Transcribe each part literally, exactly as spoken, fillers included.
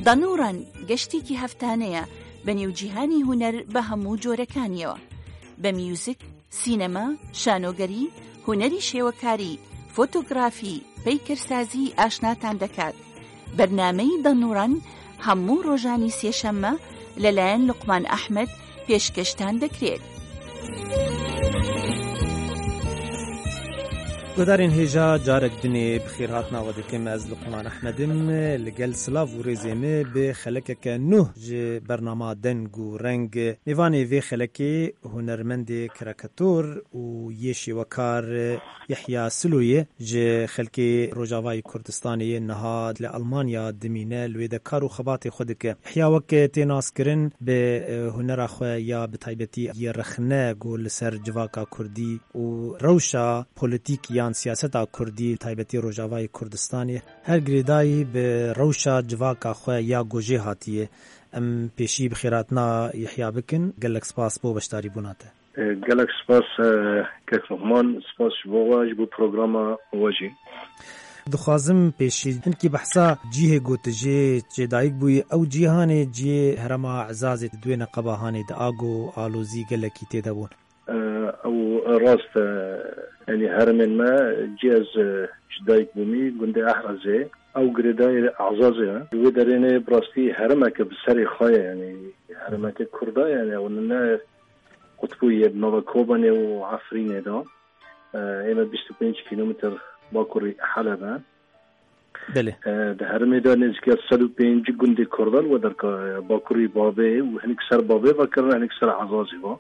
دانوڕان گەشتێکی هەفتانەیە بە نێوجیهانی هونەر بە هەموو جۆرەکانیەوە، بە میوزیک، سینەما، شانۆگەری، هونەری شێوەکاری، فۆتۆگرافی، پەیکەرسازی ئاشناتان دەکات. بەرنامەی دانوڕان هەموو ڕۆژانی سێشەممە لەلایەن لوقمان ئەحمەد پێشکەشتان دەکرێت. Guhdarên hêja, carek dinê bi xêrhatina we dikim. Ez Luqman Ehmed im. Li gel silav û rêzê me bi xelekeke nû ji bernama Deng û Reng. Mêvanê vê xelekê hunermendê karîkator û yê şêwekar Yehya Silo ye, ji xelkê Rojavayê Kurdistanê ye, niha li Almanya dimîne, li wê de kar û xebatê xwe dike. Yehya wek tê naskirin bi, e, hunera xwe ya bi taybetî yê rexne ku li ser civaka kurdî û rewşa polîtîk yan siyaseta kurdî, taybetî Rojavayê Kurdistanê, her girêdayî bi rewşa civaka xwe ya ku jê hatiye. Em pêşî bi xêrhatina Yehya bikin. Gelek spas bo beşdarîbûna te. E, gelek spas, e, kek Luqman, spas ji bo we, ji bo programa we jî. Dixwazim pêşî hinkî behsa cihê ku tu jê çêdayik bûyî, ew cî hanê cihê herêma Ezazê di wê neqeba hanê de ago alozî gelekî tê de bûn. E, ew rast e, yanî herêmên me cî ez, e, ji dayik bûmî gundê Ehrazê, ew girêdayî Ezazê ye. Wê derê ne bi rastî herêmeke bi serê xwe ye, yanî herêmeke kurda ye, yanî ew ne qutbû ye, bi nava Kobanê û Efrînê de. E, ê me bîst û pênc kîlometre bakurî Heleb e. Belê. E, di herêmê de nêzîkî sed û pêncî gundê kurda li we derka, e, bakurî Bavê û hinek ser Bavê ve kirin, hinek ser Ezazê ve.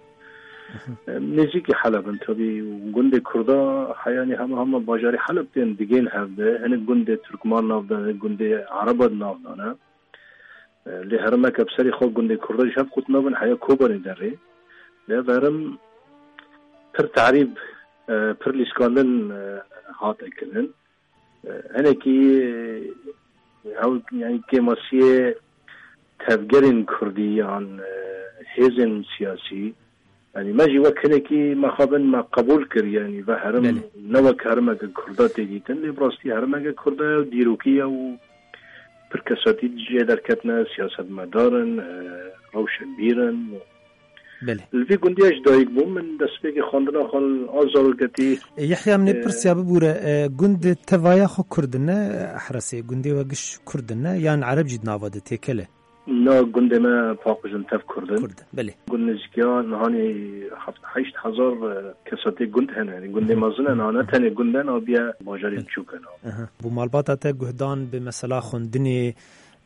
E, nêzîkî Heleb in tabî. Gundê kurda heyanî hema hema bajarê Heleb tên digên hev de. Hinek gundê Tirkman nav de, hinek gundê Ereba di nav de ne. E, lê herêmeke bi serê xwe gundê kurda ji hev qut nabin, heya Kobanê derê. Lê ev herêm pir tarîb, e, pir lîskandin, e, hate kirin. E, hinekî, e, ew, yanî kêmasiyê tevgerên kurdî yan, e, hêzên siyasî, yanî me jî wek hinekî mexabin me qebûl kir, yanî ve herêm Belê. ne wek herêmeke kurda tê dîtin, lê bi rastî herêmeke kurda ye û dîrokî ye û pir kesatî jê derketine, siyasetmedar in, e, rewşenbîr in. Belê. Li vî gundî ez ji dayik bûm, min destpêkê xwendina xwe a zaroketî, E, Yehya, min ê e, pirsiya bibûre, e, gund tevaya xwe Kurd in ne, Ehresê, gundê we giş Kurd in ne, yan Ereb jî di nava de têkel e? Na, gundê me paqij in, tev Kurd in. Kurd in, belê. Gund nêzîkiya nihanî heft, heşt hezar, e, kesa tê gund hene. Yanî gundê Hı hı. mezin e, na ne tenê gund e, na biye bajarê Belê. biçûk e, na. Aha. Bo malbata te guhdan bi mesela xwendinê,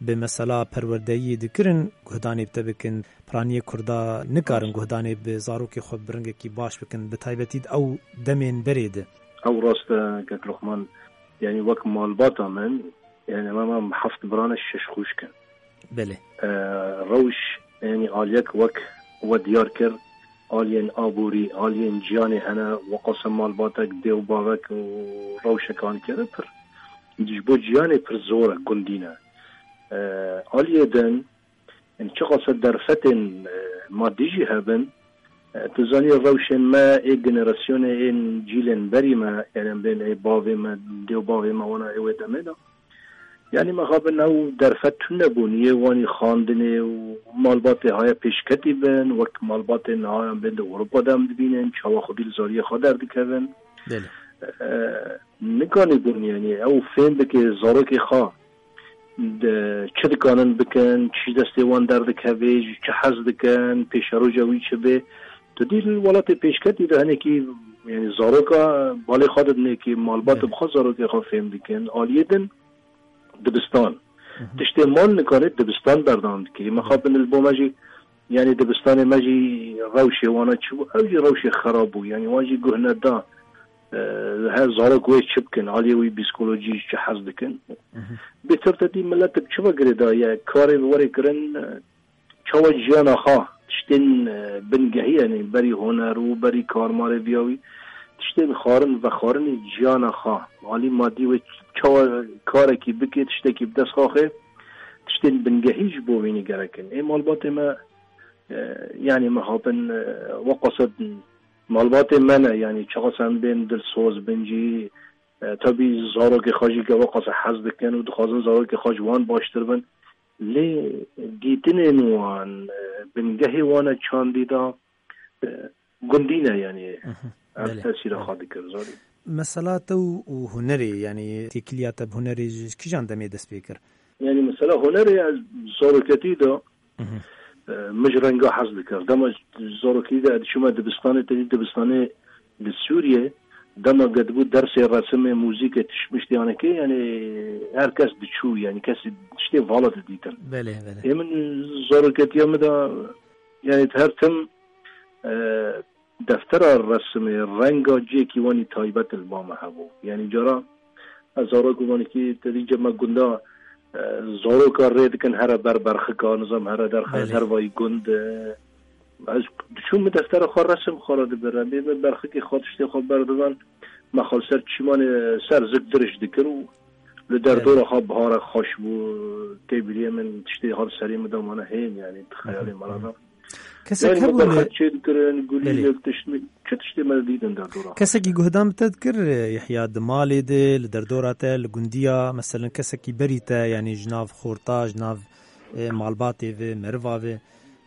bi mesela perwerdeyiyê dikirin, guhdanê bi te bikin. Piraniyê Kurda nikarin guhdanê bi zarokê xwe bi rengekî baş bikin, bi taybetî di ew demên berê de. Ew rast e, kek Luqman, yanî wek malbata min, yanî me, me heft biran e, şeş xwişk in. Belê. E, rewş, yanî aliyek wek we diyar kir, aliyên aborî, aliyên jiyanê hene, weqasa malbatek, dê û bavek û rewşek anî keve pir, ji bo jiyanê pir zor e, gundî ne. E, aliyê din, yanî çiqasa derfetên, e, madî jî hebin, e, tu zanî rewşên me ê generasyonê ên cîlên berî me, yanî em bên ê bavê me, dê û bavê me wana ê wê demê de. Yanî mexabin ew derfet tune bûn, yê wanî xandinê û malbatê haya pêşketî bin, wek malbatê niha em bên di Ewropa de em dibînin, çawa xwedî li zariyê xwe derdikevin. Belê. E, nikanî bûn, yanî ew fêm bike zarokê xwe. Di, çi dikanin bikin, çi ji destê wan derdikeve, ji çi hez dikin, pêşeroja wî çi bê. Tu dî li welatê pêşketî de hinekî, yanî zaroka balê xwe didinê kî malbat Belê. bi xwe zarokê xwe fêm dikin. Aliyê din dibistan. Hı hı. Tiştê mal nikarê dibistan berdewam dikirî. Mexabin li bo me jî, yanî dibistanê me jî rewşê wana çi bû? Ew jî rewşê xerab bû. Yanî wan jî guh neda. E, her zarok wê çi bikin, aliyê wî psîkolojî çi hez dikin. Mhm. Bêtir te dî millet bi çi ve girêdaye, karê bi werê kirin, e, çawa jiyana xwe, tiştên, e, bingehî, yanî berî huner û berî karmarê viya wî, tiştên xwarin, vexwarinê jiyana xwe, alî madî wê çawa karekî bike, tiştekî bi dest xwe xê, tiştên bingehî ji bo wînî gerek in. Ê malbatê me, e, yanî mexabin, e, weqasa malbatê me ne, yanî çiqas em bên dilsoz bin jî, e, tabî zarokê xwe jî ke weqasa hez dikin û dixwazin zarokê xwe ji wan baştir bin. Lê dîtinên wan, e, bingehê wan e çandî da, e, gundî ne, yanî, Mhm. ev Belê, tesîra belê. xwe dikir, zanî. Mesela te û, û hunerê, yanî têkiliya te bi hunerê ji kîjan demê dest pê kir? Yanî mesela hunerê ez zaroketî de, Mhm. e, min ji renga hez dikir. Dema zarokî de diçûme dibistanê, te dî dibistanê li Sûriyê, dema gedibû dersê resimê, muzîkê, tişt mişt yanekê, yanî her kes diçû, yanî kesî tiştê vala didîtin. Belê, belê. Ê min zaroketiya min de, yanî her tim, e, deftera resimê, renga cihekî wanî taybet li ba me hebû. Yanî cara ez zarok û wanîkî te dî cema gunda, e, zaroka rê dikin here ber berxika, nizam here derxe Belê. dervayî gund, e, ez diçûm min deftera xwe resim xwe re dibir. Em ê min berxikê xwe tiştê xwe berdidan. Me xwe li ser çîmanê ser zik dirij dikir û li Belê. derdora xwe bihara xweş bû. Tê biriyê min tiştê xwe li serê min de mane hên, yanî di xeyalê me re de. Kesek Yanî hebû me li berxek çê dikirin, gulî Belê. li tişt min, çi tiştê me didin derdora xwe. Kesekî guhdan bi te dikir, Yehya, di malê de, li derdora te, li gundiya, meselen kesekî berî te, yanî ji nav xorta, ji nav, e, malbatê ve, meriva ve.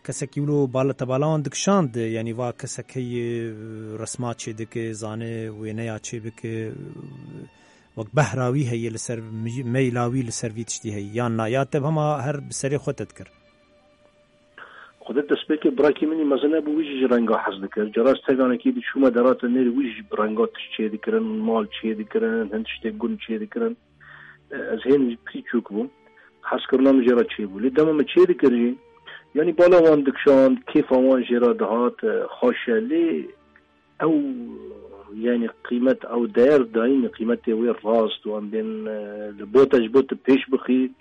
Kesekî wilo bala te bala wan dikişand, yanî va kesek heye, resma çê dike, zane wêneya çê bike, wek behra wî heye li ser mi-, meyla wî li ser vî tiştî heye. Yan na, ya te hema her bi serê xwe te dikir? Xwedê destpêkê birakî min î mezin hebû, wî jî ji renga hez dikir. Cara ez teganekî diçûme derate nêrî, wî jî bi renga tişt çê dikirin, mal çê dikirin, hin tiştê gund çê dikirin. E, ez hên jî pî çûk bûm. Hezkirina min jê re çêbû. Lê dema min çê dikir jî, yanî bala wan dikişand, kêfa wan jê re dihat, e, xweş e. Lê ew, yanî qîmet, ew değer dayîn, qîmetê wê rast û em bên, e, li bo te, ji bo tu pêş bixî,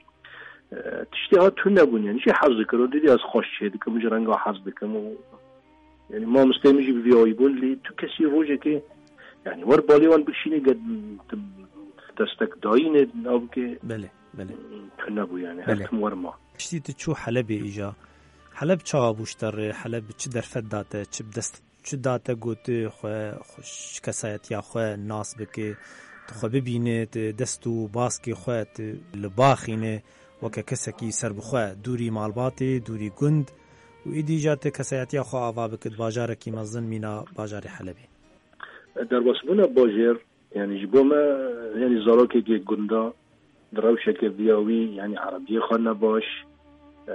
e, tiştê ha tune bûn, yanî jê hez dikir û didî ez xweş çê dikim, ji renga hez dikim û, yanî mamosteyê min jî bi vî awî bûn, lê tu kesî rojekê, yanî wer balê wan bikişînê, get tu destek dayînê, nabike Belê, belê. tune bû, yanî her Belê. tim wer ma. Piştî tu çû Helebê îja. Heleb çawa bû ji te re? Heleb çi derfet da te? Çi bi dest Çi da te got tu xwe, xwe, ji kesayetiya xwe nas bike, tu xwe bibîne, tu dest û baskê xwe tu li ba xîne, weke kesekî serbixwe, dûrî malbatê, dûrî gund û êdî jî tu kesayetiya xwe ava bike di bajarekî mezin mîna bajarê Helebê? Derbasbûna bajêr, yanî ji bo me, yanî zarokekê gunda, di rewşeke viya wî, yanî erebiyê xwe ne baş, e,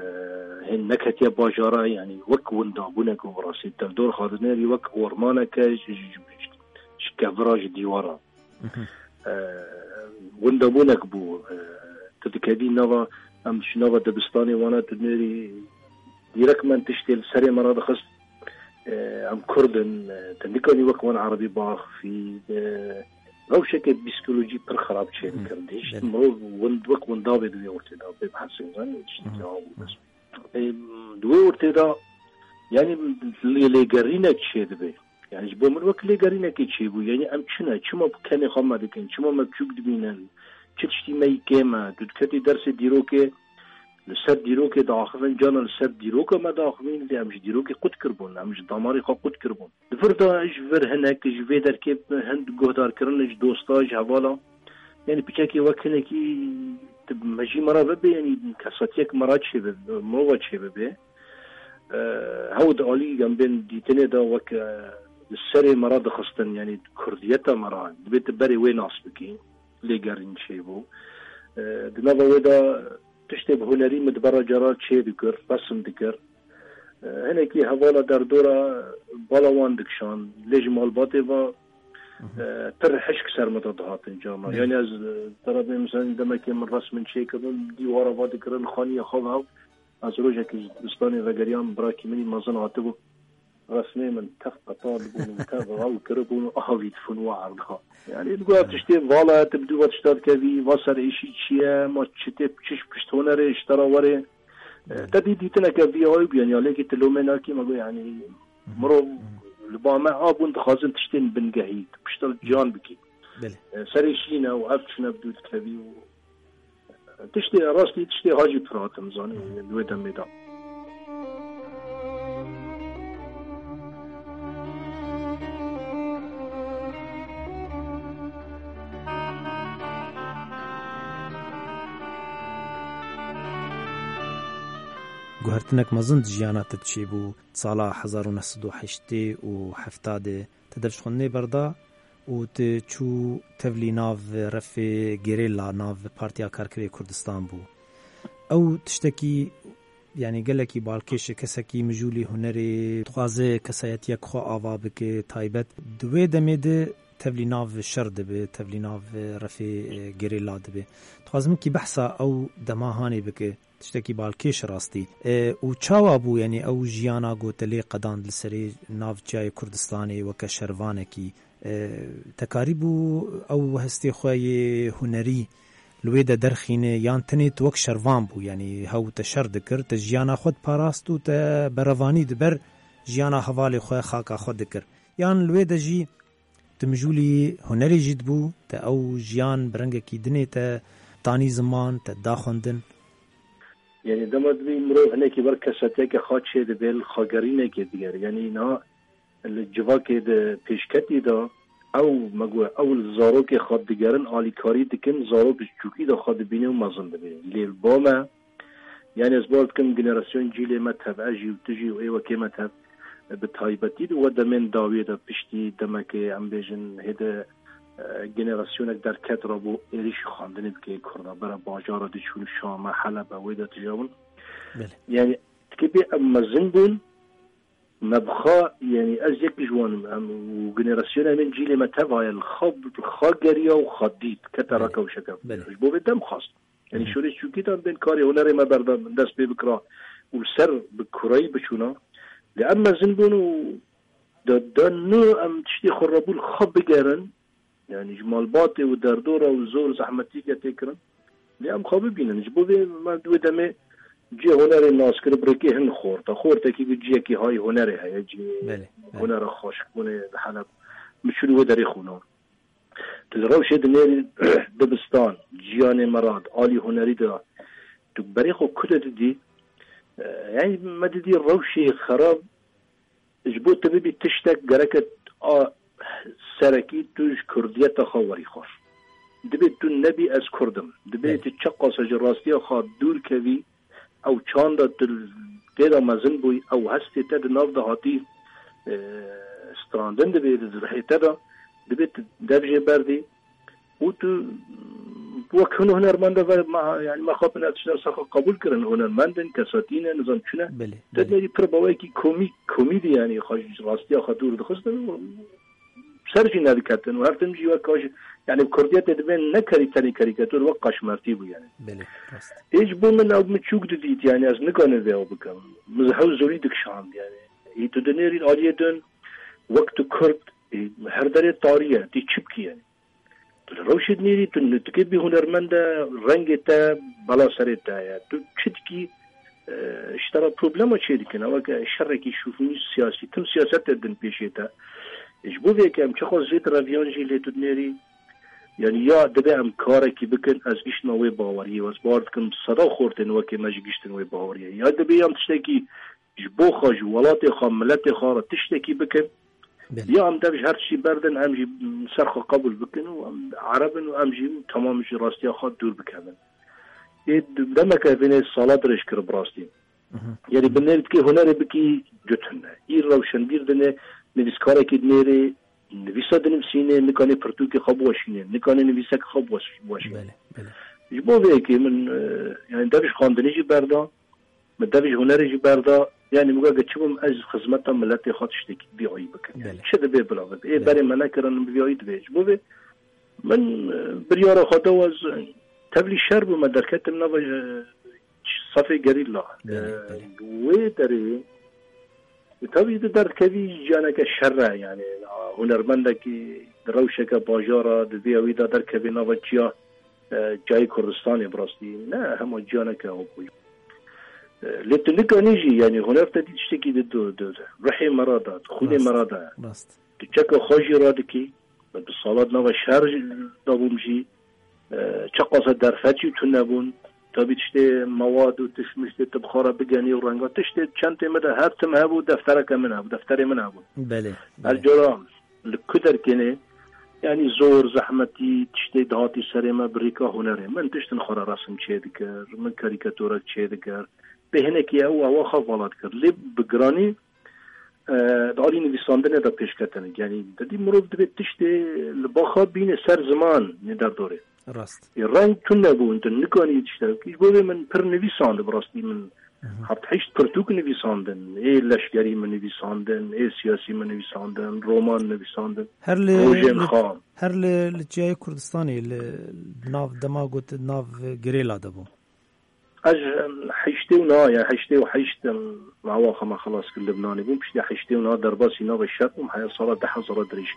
hên neketiye bajara, yanî wek windabûnek û bi rastî tevdor xwe dinêrî wek ormaneke ji, ji, ji, ji kevira, ji dîwara. Mhm. E, windabûnek bû, e, tu dikevî nava, em ji nava dibistanê wana tu dinêrî, dîrek me tiştê li serê me radixist, e, em Kurd in, e, te nikanî wek wan erebî biaxivî, e, rewşeke psîkolojî pir xerab çêdikir. Hı, Hişt belê. mirov wind, wek windavê di wê ortê de bê bihesê zanî, tiştekî Hı. aw bes. E, di wê ortê de, yanî lê-, lêgerînek çêdibe. Yanî ji bo min wek lêgerînekê çêbû. Yanî em çi ne? Çima kenê xwe me dikin? Çima me biçûk dibînin? Çi tiştî me yî kêm e? Tu diketî dersê dîrokê, li ser dîrokê diaxivin, cana li ser dîroka me diaxivin, lê em ji dîrokê qut kiribûn, em ji damarê xwe qut kiribûn. Di vir de ji vir hinek, ji vê derkê hind guhdarkirin, ji dosta, ji hevala. Yanî piçekê wek hinekî tu mejî me re bibe, yanî kesatiyek me re çêbibe, mirova çêbibe. E, hew di alî em bên dîtinê de wek, e, li serê me re dixistin, yanî kurdiyeta me re, dibê tu berê wê nas bikî, lêgerîn çêbû. E, di nava wê de tiştê bi hunerî min di bera cara çê dikir, resim dikir. E, hinekî hevala derdora bala wan dikişand, lê ji malbatê ve, Mhm. e, pir hişk ser min de dihatin carna. Evet. Yanî ez, e, te re bê, mesela demekê min resmin çêkirin, dîwara va dikirin, xaniya xwe ve. Ez rojekî ji dibistanê vegeriyam, birakî min î mezin hatibû. Resmê min tev qetal dibûn û tev rew kiribûn û avî dibûn û erda. Yanî digot, ev tiştê vala ye, tu bi dû va tişta dikevî, va ser êşî çi ye, ma çi tê, çi ji pişt hunerê ji te re were. E, te dî dîtineke vî awî bû, yanî alekî tu lomê nakî, me got, yanî mirov li ba me a bûn, dixwazin tiştên bingehî, tu pişta li ciyan bikî. Belê. E, serê şîn e û ev çi ne bi dû dikevî û Tiştê rastî, tiştê hacî pir hatim zanî, di wê demê de. Guhertinek mezin di jiyana te çêbû, sala hezar û neh sed û heştê û hefta de te devşxwendinê berda û tu çû tevlî nav refê gerîla nav Partiya Karkerê Kurdistan bû. Ew tiştekî, yanî gelekî balkêş e, kesekî mijûlî hunerê dixwaze kesayetiyek xwe ava bike, taybet di wê demê de tevlî nav şer dibe, tevlî nav refê, e, gerîla dibe. Dixwazim kî behsa ew dema hanê bike. Tiştekî balkêş rastî. E, û çawa bû, yanî ew jiyana ku te lê qedand li serê nav çiyayê Kurdistanê weke şervanekî? E, te karîbû ew hestê xwe yê hunerî li wê de derxîne, yan tenê tu wek şervan bû, yanî hew te şer dikir, te jiyana xwe diparast û te berevanî di ber jiyana hevalê xwe, xaka xwe dikir? Yan li wê de jî tu mijûlî hunerê jî dibû, te ew jiyan bi rengekî dinê te tanî ziman, te da xwendin? Yanî dema dibî mirov hinekî wer kesatiyeke xwe çê dibe, li xwegerînekê digere. Yanî niha li civakê di pêşketî de ew, me got, ew li zarokê xwe digerin, alîkarî dikin, zarok ji çûkî de xwe dibîne û mezin dibe. Lê li ba me, yanî ez bawer dikim generasyon cîlê me tev, ez jî û tu jî û ê wekê me tev, bi taybetî di we demên dawiyê de piştî demekê, em bêjin, hêde, e, generasyonek derket rabû êrîşî xwendinê bike kurda, bere bajara diçûn Şame, Helebe, wê de tijabûn. Belê. Yanî tikê bê em mezin bûn, me bi xwe, yanî ez yek ji wan im, em û generasyona min cîlê me tev heye, li xwe, li xwe geriya û xwe dît, kete Belê. Reka û şeke. Belê. Ji bo vê dem xwast. Yanî Hı hı. şorê çûkî de bên karê hunerê me berda, dest pê bikira û li ser bi kureyî biçûna. Lê em mezin bûn û de, de nû em tiştê xwe rabû li xwe bigerin. Yanî ji malbatê û derdora û zor zehmetî ke tê kirin. Lê em xwe bibînin. Ji bo vê me di wê demê cihê hunerê nas kir, bi rêkê hin xort. Xortekî ku cihekî hay hunerê heye, cihê Belê, belê. hunera xweşikbûnê li Heleb. Min çûn wê derê xwîna. Tu li rewşê dinêrî dibistan, jiyanê me re, alî hunerî de, tu berê xwe ku de didî, e, yanî me didî rewşê xerab, ji bo tu bibî tiştek gereke a serekî tu ji kurdiyeta xwe werî xwe. Dibê tu nebî ez kurd im. Dibê Belê. tu çiqas ji rastiya xwe dûr kevî, ew çanda tu tê de mezin bûyî, ew hestê te di nav de hatî, e, strandin dibê di rihê te de, dibê tu dev jê berdî û tu wek hin hunermend ve, me, yani me xwe bine tişta ser xwe qebûl kirin, hunermend in, kesatî ne, nizam çi ne. Belê, Te belê. nêrî pir bawekî komîk, komîdî yani xwe ji rastiya xwe dûr dixistin û ser jî nediketin û her tim jî wek kaş, yani kurdiyetê dibên ne kerî tenê karîkatur, wek kaşmertî bû yani. Belê, rast. Ê ji bo min ew min çûk didît, yani ez nikanim vê ew bikim. Min hew zorî dikişand yani. Ê tu dinêrî aliyê din, wek tu kurd, ê her derê tarî ye, tê çi bikî yani. Tu li rewşê dinêrî, tu nutikê bî hunermend e, rengê te bela serê te ye. Tu çi dikî, e, ji te re problema çê dikin. Ew weke şerekî şûfûnî siyasî, tim siyasetê din pêşê te. Ji bo vê yekê em çiqas zêde reviyan jî lê tu dinêrî, yani ya dibe em karekî bikin, ez giştime wê baweriyê, ez bawer dikim seda xortên wekê me jî giştin wê baweriyê. Ya dibe em tiştekî ji bo xwe, ji welatê xwe, miletê xwe re tiştekî bikin. Belê. Ya em dev ji her tiştî berdin, em jî ser xwe qebûl bikin û em Ereb in û em jî temam ji rastiya xwe dûr bikevin. Ê demeke vênê sala dirêj kir bi rastî. Mhm. Yanî bi nêrîtkê hunerê bikî du tune. Î rewşenbîr dine, nivîskarekî dinêrê, nivîsa dinivîsîne, nikane pirtûkê xwe biweşîne, nikane nivîsek xwe biweş-, biweşîne. Belê, belê. Ji bo vê yekê min, e, yani dev ji xwendinê jî berda, min dev ji hunerê jî berda, yani min got, çi bim ez xizmeta miletê xwe tiştekî vî ayî bikim. Yani Belê. çi dibe bila bibe. Ê Belê. berê me nekirin bi vî ayî dibe. Ji bo vê min, e, biryara xwe da ez tevlî şer bûme, derketim nava, e, safê gerîla. Belê, E, belê. wê derê, e, tabii di derdikevî jiyaneke şer e, yani, a, hunermendekî di rewşeke bajara, di vî ewî de derkevê nava çiya, e, çiyayê Kurdistanê bi rastî. Ne, hema jiyaneke ew bûye. E, lê tu nikanî jî, yani, huner te dî tiştekî di, di, di, di ruhê me re de, di xwînê Rast, me re de. rast. Tu çeka xwe jî radikî, min bi salat nava şer jî dabûm jî, e, çeqasa derfet jî tune bûn. Tabî tiştê mewad û tişt miştê tu bi xwe re bigenî û renga tiştê çentê min de her tim hebû, deftereke min hebû, defterê min hebûn. Belê, Her belê. cara li ku derkênê, yanî zor, zehmetî, tiştê dihatî serê me bi rîka hunerê. Min tiştin xwe re resim çêdikir, min karîkaturek çêdikir. Bê hinekî ew awa xwe vala dikir. Lê bi giranî, e, di alî nivîsandinê de pêşketin. Yanî, te dî mirov divê tiştê li ba xwe bîne ser ziman, ne derdorê. Rast. Ê reng tune bûn, tu nikanî tiştek. Ji bo vê min pir nivîsand, bi rastî min heft heşt pirtûk nivîsandin. Ê leşkerî min nivîsandin, ê siyasî min nivîsandin, roman nivîsandin. Her li, Rojên li, xwe. Her li, li çiyayê Kurdistanê, li nav dema got, nav girêla de bû. Ez, em, heştê û neh ya, heştê û heşt, em, awa xwe me xelas kir Libnanê bûm. Piştî heştê û neh derbasî nava şer bûm, heya sala du hezar dirêj.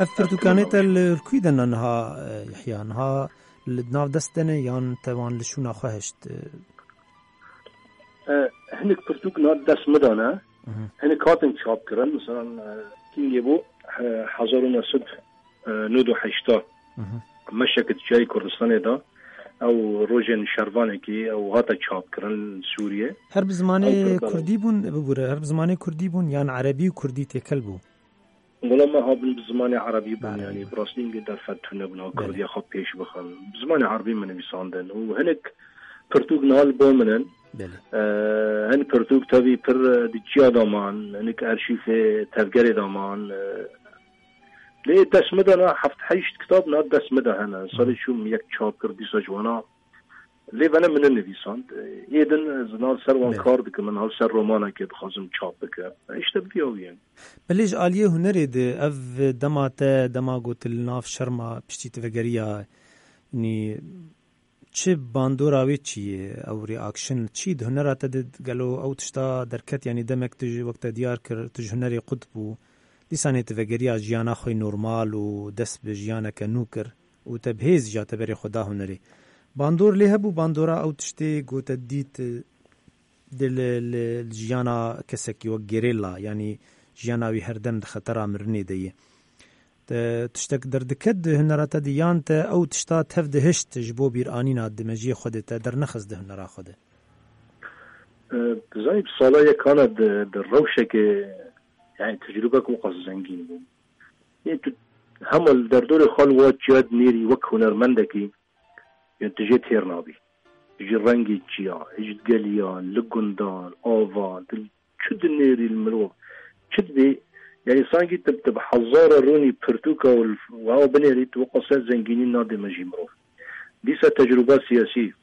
Ev pirtûkanê te li, li kû de ne niha, e, Yehya? Niha li nav dest de ne yan te wan li şûna xwe hişt? E, hinek pirtûk na dest min de ne. Mhm. Hinek hatin çap kirin. Mesela, e, kîngê bû, e, hezar û neh sed, e, nod û heşta. Mhm. Meşek di çiyayê Kurdistanê de. Ew rojên şervanekî ew hate çap kirin li Sûriyê. Her bi zimanê Ew kurdî bûn, bibûre, her bi zimanê kurdî bûn, yan erebî û kurdî têkel bû? Wela me habin bi zimanê erebî bûn, Erebî yanî bûn. Bi rastî hingê derfet tune bûn, ha Belê. Kurdiya xwe pêş bixin. Bi zimanê erebî min nivîsandin. Û hinek pirtûk niha li ba min in. Belê. Ee, hin pirtûk tevî pir, e, di çiya de man, hinek arşîfê tevgerê de man. E, lê dest min de na heft heşt kitab na dest min de hene. Salê Hı. çûm yek çap kir, dîsa ji wana Lê vene min nenivîsand. Ê din ez niha ser wan Belê. kar dikim, niha ser romanekê dixwazim çap bikim. E, îşte bi vî awiyê. Belê ji aliyê hunerê de ev dema te, dema got li nav şerma piştî tu vegeriya, yanî çi bandora wê çi ye, ew reaction çi di hunera te de gelo ew tişta derket, yanî demek tu ji wek te diyar kir, tu ji hunerê qut bû, dîsanê tu vegeriya jiyana xwe normal û dest bi jiyaneke nû kir. û te bi hêz ja te berê xwe da hunerê. Bandor lê hebû, bandora ew tiştê ku te dît, e, di li, li, li jiyana kesekî wek gerêla, yanî jiyana wî herdem di xetera mirinê de ye. Te tiştek derdiket di hunera te de yan te ew tişta tev dihişt ji bo bîranîna di mejiyê xwe de te dernexist di hunera xwe de? E, tu zanî, bi sala yekana di, di rewşeke, yani tecrûbek wiqas zengîn bû. Yê tu hema li derdorê xwe li wa çiya dinêrî wek hunermendekî, yê tu jê têr nabî. Ji rengê çiya, ji geliya, li gundan, avan, tu çi dinêrî li mirov, çi dibê, yani sankî tu, tu bi hezara rûnî pirtûka û li, wa binêrî, tu wek qasa zengînî nadê me jî mirov. Dîsa tecrûba siyasî,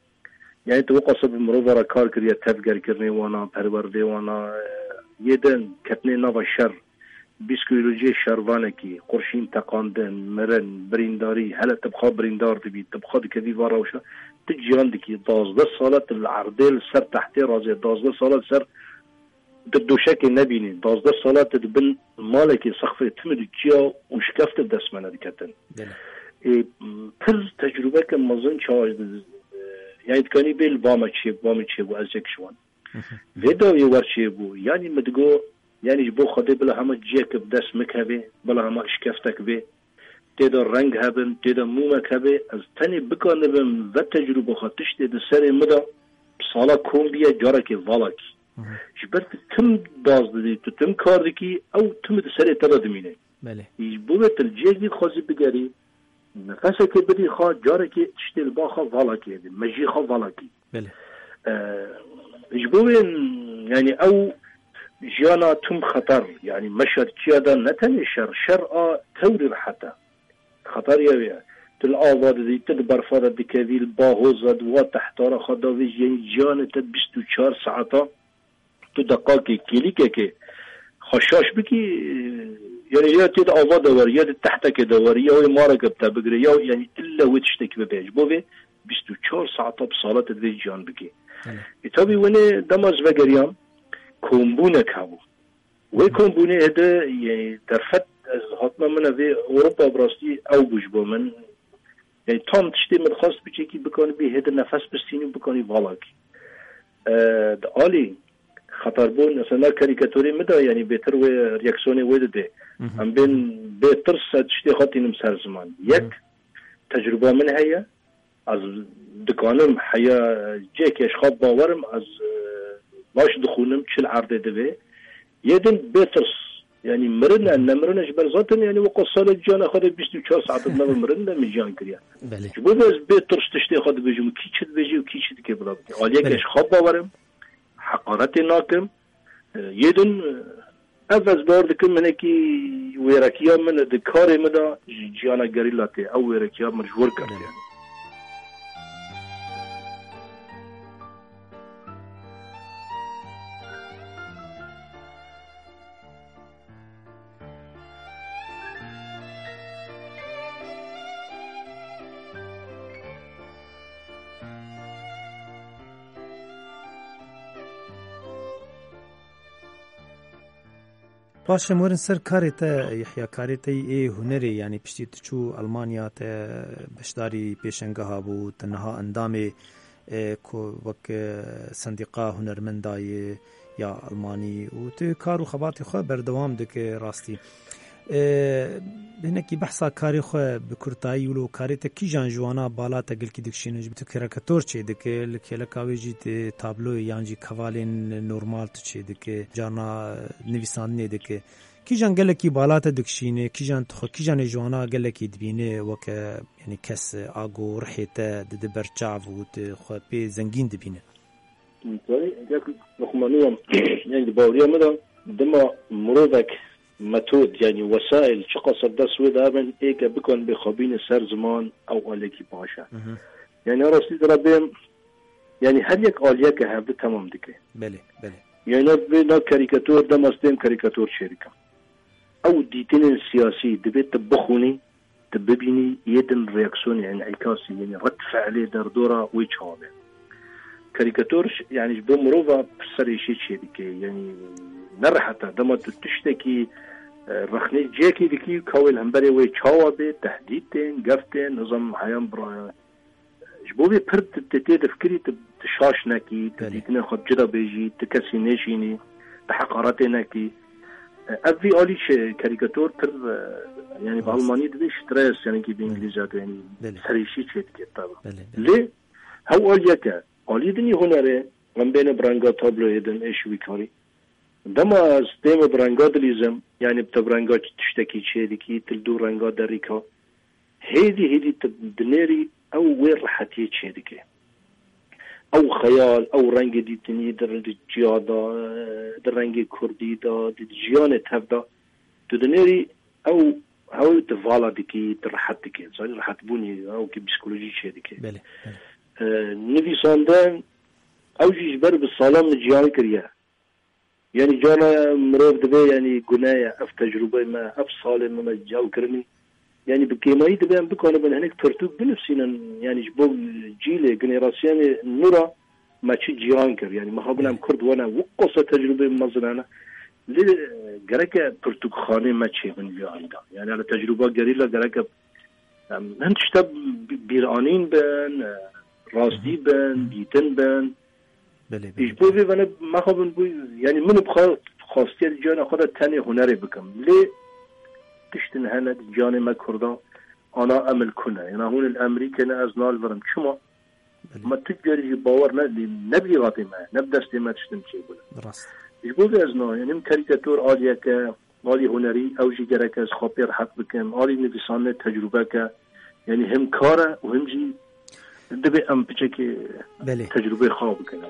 yani tu wek qasa bi mirova re kar kiriye, tevgerkirinê wana, perwerdê wana, yê din ketinê nava şer, psîkolojiyê şervanekî, qurşîn teqandin, mirin, birîndarî, hele tu bi xwe birîndar dibî, tu bi xwe dikevî va rewşa, tu ciyan dikî, dazdeh sala tu li erdê li ser tehtê razê, dazdeh sala li ser tu doşekê nebînî, dazdeh sala tu di bin malekê sexfê timî di çiya û şikefte dest me nediketin. Belê. Ê, pir tecrûbeke mezin çawa, e, yani dikanî bê li ba me çêbû, ba min çêbû, ez yek ji wan. Vê dawiyê wer çêbû. Yanî min digo, yanî ji bo Xwedê bila hema ciyeke bi dest min keve, bila hema şikeftek bê, tê de reng hebin, tê de mûmek hebe, ez tenê bikanibim ve tecrûba xwe tiştê di serê min de bi sala kom biye, carekê vala kî. Ji ber tu tim daz didî, tu tim kar dikî, ew tim di serê te de dimîne. Belê. Ji bo wê tu li ciyekî dixwazî bigerî, nefesekê bidî xwe, carekê tiştê li ba xwe vala kê, mejiyê xwe vala kî. Belê. Ee, ji bo wê, yani ew jiyana tim xeter, yani meşa di çiya de ne tenê şer, şer a tewrî rehet e. Xeter ya wê ye. Tu li ava didî, tu di berfa de dikevî, li bahoza di wa tehtara xwe davêjî, yani ciyanê te bîst û çar saeta tu deqakê, kêlîkekê xwe şaş bikî, yani ya tê di ava de werî, ya di tehtekê de werî, ya wê mareke bi te bigire, ya yani ille wê tiştekî bibe. Ji bo vê bîst û çar saeta bi sala te divê ciyan bikî. Belê. E, tabî wenê dema ez vegeriyam, kombûnek hebû. Wê kombûnê hede, yani derfet ez hatina min vê Ewropa bi rastî ew bû ji bo min. Yani tam tiştê min dixwest biçekî bikanî bê hede nefes bistînî û bikanî valakî. E, di alî xeterbûn, mesela karîkatorê min de, yani bêtir wê reaksiyonê wê dide. Em bên bê tirs ez tiştê xwe tînim ser ziman. Yek, tecrûba min heye, ez dikanim heya cihekê ji xwe bawerim, ez, e, baş dixwînim çi li erdê divê. Yê din bê tirs, Yanî mirin e, nemirin e, ji ber zaten, yanî, weka salê ciyana xwe de bîst û çar saet nebe mirin de min jiyan kiriye. Belê. Ji bo vê ez bê tirs tiştê xwe dibêjim û kî çi dibêjî û kî çi dike bila bike. Aliyeke Belê. ez xwe bawerim, heqaretê nakim. E, yê din, e, ev ez bawer dikim, hinekî wêrekiya min di karê min de ji ciyana gerîla tê. Ew wêrekiya min ji wir ketiye. Belê. Paşê em werin ser karê te, Yehya, karê te yê hunerê, yanî piştî tu çû Almanya te beşdarî pêşengeha bû, tu niha endamê e, ku wek, e, sendîqa hunermenda yê ya Almanî û tu kar û xebatê xwe berdewam dike rastî. E, hinekî behsa karê xwe bi kurtayî wilo karê te kîjan ji wana bala te gelkî dikişîne, ji tu karîkator çê dike, li kêleka wê jî tu tabloyê yan jî kevalên normal tu çê dike, carna nivîsandinê dike. Kîjan gelekî bala te dikişîne, kîjan tu xwe, kîjanê ji wana gelekî dibîne weke, yanî kes a ku rihê te dide ber çav û tu xwe pê zengîn dibîne? Zanî, gelek loqmanî ye. Yanî di baweriya min de dema mirovek metod, yanî wesaîl çiqas ser dest wê de hebin, ê ke bikan bê xwe bîne ser ziman, ew alekî baş e. Mhm. Yanî rastî de re bêm, yanî her yek aliyeke hevdi temam dike. Belê, belê. Yanî vê na karîkator dema stêm karîkator çêdikim. Ew dîtinên siyasî divê tu bixwînî, tu bibînî, yê din reaksiyonê, enîkasî, yanî red fe'lê derdora wê çawa be. Karîkator, yanî ji bo mirova pirsê rêşê çêdike, yanî ne rehet e. Dema tu tiştekî, e, rexnê cihekî dikî, ka wê li hemberê wê çawa be, tehdîd tên, gef tên, nizam heyan bira-, Ji bo vê pir tu, tu tê difikirî, tu, tu şaş nekî, tu Belê. dîtinên xwe bi cida bêjî, tu kesî nêşînî, tu heqaretê nekî. Ev vî alî çi karîkator pir, e, yanî bi Rast. Almanî dibê stres, yanî kî bi Belê. Îngilîzca de, yanî Belê. serîşî çê dike tabi. Belê, belê. Lê hew aliyeke, alî din î hunerê, em bêne bi renga tabloyê din, êş wî karî. Dema ez tême bi renga dilîzim, yanî bi te bi renga tiştekî çê dikî, tu li dû renga derîka. Hêdî hêdî tu dinêrî ew wê rehetiyê çêdike. Ew xeyal, ew rengê dîtinî di, di ciya de, di rengê kurdî de, di, di jiyanê tev de, tu dinêrî ew, ew tu vala dikî, tu rehet dikî. Zanî rehetbûnê, ew ki psîkolojî çêdike. Belê, belê. E, nivîsandin, ew jî ji ber bi salan min ciyan kiriye. Yanî carna mirov dibê, yanî gune ye, ev tecrûbeyê me, ev salê me, me cem kirinî. Yanî bi kêmayî dibê em bikanibin hinek pirtûk binivîsînin, yanî ji bo cîlê, generasiyonê nû re me çi ciyan kir. Yanî me xabin em Kurd wene, wiqasa tecrûbeyê mezin hene. Lê gereke pirtûkxanê me çêbin vî alî de. Yanî hele tecrûba gerîla gereke em hin tişte bi-, bîranîn bin, rastî bin, dîtin bin. Belê, belê. Ji bo vê vene mexabin bû, yanî min bi xwe xwestiye di ciyana xwe de tenê hunerê bikim. Lê tiştin hene di ciyanê me Kurda, ana em li ku ne? Yana hûn li Emerîkê ne, ez nalivirim. Çima? Belê. Me tu carî jî bawer ne, lê ne bi îratê me, ne bi destê me tiştin çêbûne. Rast. Ji bo vê ez na, yanî min karîkator aliyeke, alî hunerî, ew jî gerek ez xwe pê rehet bikim, alî nivîsandinê tecrûbeke, yanî him kar e û him jî divê em piçekê Belê. tecrûbeyê xwe bikin.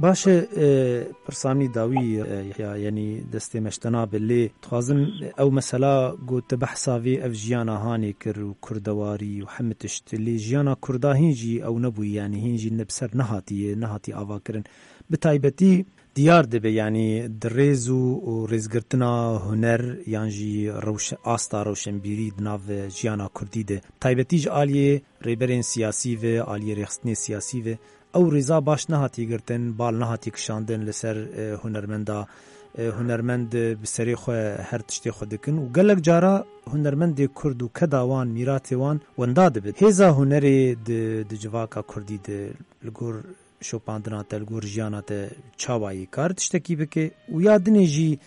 Baş e, e, pirsa min dawî, e, ya, yanî destê me ji te nabe, lê dixwazim ew mesela ku tu behsa vê ev jiyana hanê kir û kurdewarî û hemî tişt, lê jiyana kurda hîn jî ew nebûyî, yanî hîn jî ne bi ser nehatiye, nehatiye avakirin. Bi taybetî diyar dibe, yanî di rêz û, û rêzgirtina huner yan jî rewşe-, asta rewşenbîrî di nav jiyana kurdî de. Taybetî ji aliyê rêberên siyasî ve, aliyê rêxistinê siyasî ve, ew rêza baş nehatiye girtin, bal nehatiye kişandin li ser, e, hunermenda. E, hunermend, e, bi serê xwe her tiştê xwe dikin û gelek cara hunermendê kurd û keda wan, mîratê wan wenda dibin. Hêza hunerê di, di civaka kurdî de li gor şopandina te, li gor jiyana te çawa yî kar tiştekî bike û ya dinê jî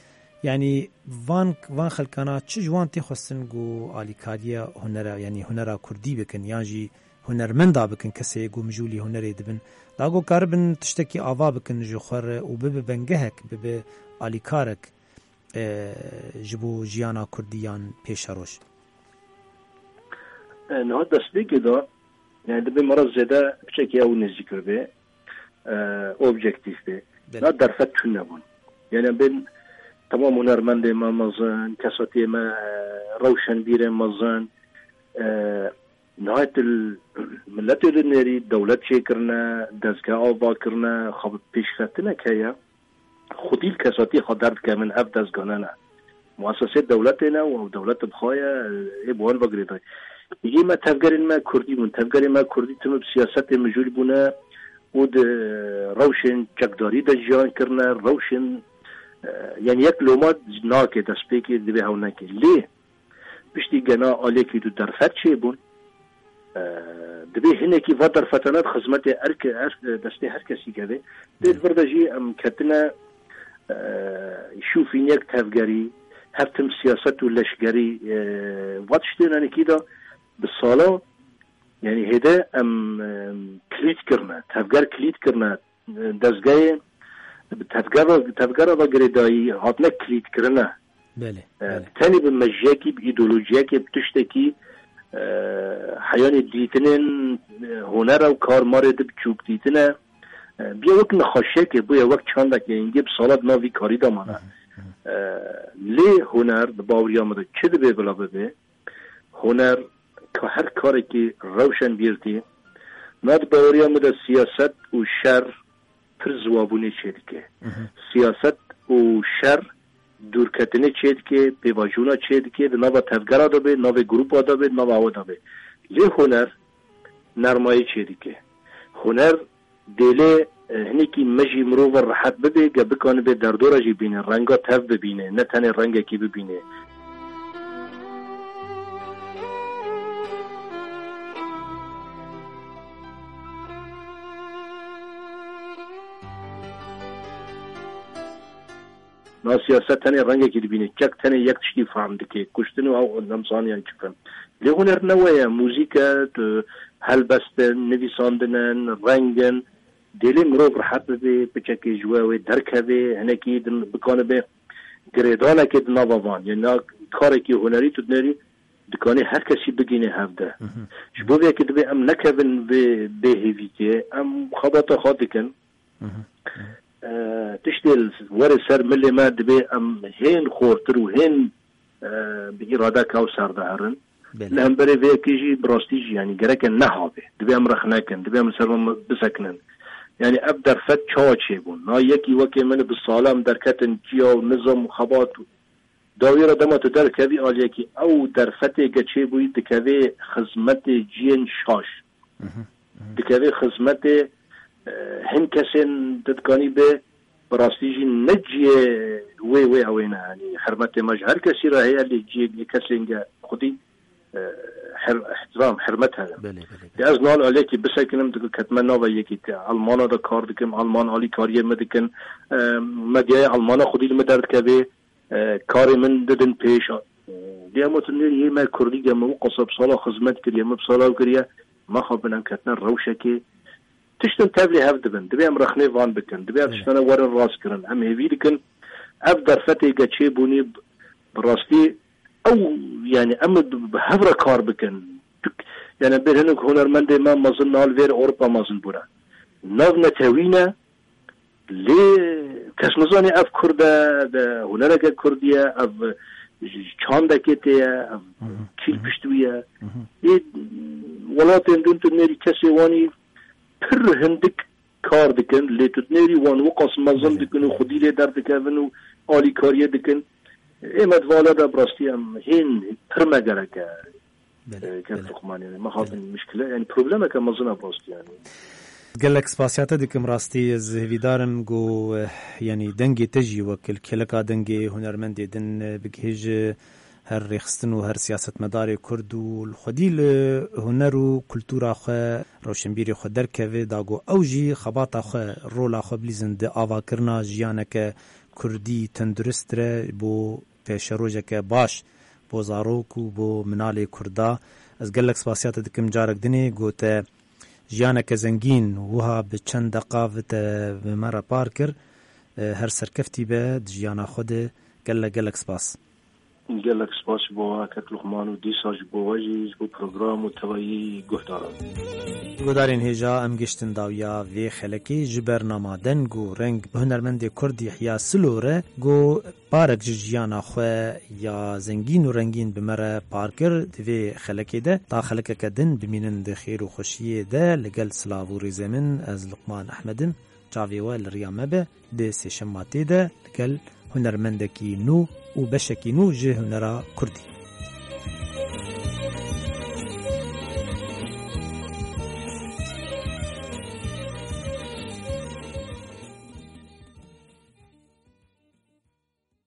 Yanî van, van xelkana çi ji wan tê xwestin ku alîkariya hunera, yanî hunera kurdî bikin, yan jî hunermenda bikin, kesê ku mijûlî hunerê dibin, da ku karibin tiştekî ava bikin ji xwe re û bibe bengehek, bibe alîkarek, e, ji bo jiyana kurdî yan pêşeroj? E, niha destpêkê de, yani, dibê me re zêde piçekî ew nêzîktir bê, e, objektîf bê. Belê. Na derfet tune bûn. Yani, bên temam hunermendê me mezin, kesatiyê me, e, rewşenbîrê mezin, e, nihayet il-, milletê dinêrî dewlet çêkirine, dezgeh ava kirine, xwe bi pêşxestinek heye. Xwedî li kesatî xwe derdikevin, ev dezgane ne. Muesesê dewletê ne û ew dewlet bi xwe ye, ê bi wan ve girêdayî. Yê me tevgerên me kurdî bûn. Tevgerên me kurdî tim bi siyasetê mijûl bûne û di rewşên çekdarî de jiyan kirine, rewşên, e, yani yek loma nake destpêkê divê hew neke. Lê piştî gena aliyekî du derfet çêbûn. E, dibê hinekî va derfetane di xizmetê erke-, er-, destê her kesî keve. Dê di vir de jî em ketine, e, şûfîniyek tevgerî, hev tim siyaset û leşgerî, e, va tiştên hinekî de bi sala, yani hêde em, em kilît kirine, tevger kilît kirine, dezgehê bi tevgera, tevgera ve girêdayî hatine kilîtkirine. Belê, E, belê. Tenê bi mejiyekî, bi îdeolojiyekê, bi tiştekî, e, heyanê dîtinên, e, hunera û karmarê di biçûk dîtine. E, biye wek nexweşiyekê, bûye wek çandekê, hingê bi sala di nav vî karî de mane. Hı hı, hı hı. E, lê huner, di baweriya min de çi dibê bila bibe? Huner ka her karekî rewşenbîrtî, na di baweriya min de siyaset û şer pir ziwabûnê çêdike. Mhm. Siyaset û şer dûrketinê çêdike, pêvajoyîna çêdike, di nava tevgera de be, navê grûpa de be, nava awe de be. Lê huner nermayî çêdike. Huner dêlê, e, hinekî me jî mirov ve rehet bibe, ge bikanibe derdora jî bîne, renga tev bibîne, ne tenê rengekî bibîne. Na siyaset tenê rengekî dibîne. Çek tenê yek tiştî fehm dike. Kuştin û ew nemzaniyan çi bikin. Lê huner ne we ye. Muzîk e, tu helbest in, nivîsandin in, reng in. Dêlê mirov rehet bibe, piçekê ji we wê derkeve, hinekî din bikanibe girêdanekê di nava van. Yanî na karekî hunerî tu dinêrî, dikanê her kesî bigîne hevde. Mhm. Ji bo vê yekê dibê em nekevin vê bêhêvîkê, em xebata xwe dikin. Mhm. E, tiştê li werê ser milê me dibê em hên xortir û hên, e, bi îradeka ew ser de herin. Belê. Li hemberê vê yekê jî bi rastî jî, yanî gereke neha be. Dibê em rexne kin, dibê em li ser me bisekinin. Yanî ev derfet çawa çêbûn? Na yekî wekê min bi sala em derketin ciya û nizam û xebat û dawî re dema tu derkevî aliyekî, ew derfetê ge çêbûyî dikevê xizmetê ciyên şaş. Mhm, mhm. Dikevê xizmetê, e, hin kesên di dikanî be, bi rastî jî ne ciyê wê, wê ew ê ne. Yanî hurmetê me ji her kesî re heye, lê ciyê kesên ge xwedî, e, her-, ihtiram, hurmet heye. Belê, belê, belê. Ya ez nal aliyekî bisekinim, digo ketime nava yekî te Almana de kar dikim, Alman alîkariyê min dikin, e, medyaya Almana xwedî li min derdikeve, e, karê min didin pêş. Lê em gotin, nêrî yê me kurdî ge me wî qasab sala xizmet kiriye, me bi sala ew kiriye, me xwe bin em ketine rewşekê. Tiştin tevlî hev dibin. Dibê em rexnê van bikin. Dibê ev Evet. tiştane werin rast kirin. Em hêvî dikin. Ev derfetê ge çêbûnî bi, bi rastî ew, yani em bi, bi hev re kar bikin. Tuk-, yani bir hinek hunermendê me mezin nal vêr Ewropa mezin bûne. Nav netewî ne, Lê kes nizane ev Kurd e, de hunereke Kurdî ye, ev çandekê tê ye, ev Hı hı. kîl Hı hı. pişt wî ye. Hı hı. Ê welatên din tu nêrî kesê wanî pir hindik kar dikin, lê tu nêrî wan wiqas mezin Belê, dikin û belê. xwedî lê derdikevin û alîkariyê dikin. Ê me di vala de bi rastî em hên pir me gerek e. Belê, E, kek belê. Luqmanê, me hatin Belê. mişkile, yani problemeke mezin e bi rastî yani. Gelek spasiya te dikim rastî, ez hêvîdar im ku, eh, yani dengê te jî wek li kêleka dengê hunermendê din, eh, bigihêje her rêxistin û her siyasetmedarê Kurd û li xwedî li huner û kultura xwe, rewşenbîrê xwe derkeve, da ku ew jî xebata xwe, rola xwe bilîzin di avakirina jiyaneke kurdî tendurist re, bo pêşerojeke baş bo zarok û bo minalê kurda. Ez gelek spasiya te dikim carek dinê, gote jiyaneke zengîn wiha bi çend deqa vite bi me re par kir. E, her serkeftî be di jiyana xwe de. Gelek gelek spas. Gelek spas ji bo we kek Luqman û dîsa ji bo we jî, ji bo program û tevayî guhdaran. Guhdarên hêja, em giştin dawiya vê xelekê. Ji bernama Deng û Reng bi hunermendê Kurd Yehya Silo re, ku parek ji jiyana xwe ya zengîn û rengîn bi me re par kir. Di vê xelekê de ta xelekeke din bimînin di xêr û xweşiyê de, li gel silav û rêzê min, ez Luqman Ehmed im. Çavê we li riya me be, di sêşemma tê de li gel hunermendekî nû û beşekî nû ji hunera kurdî.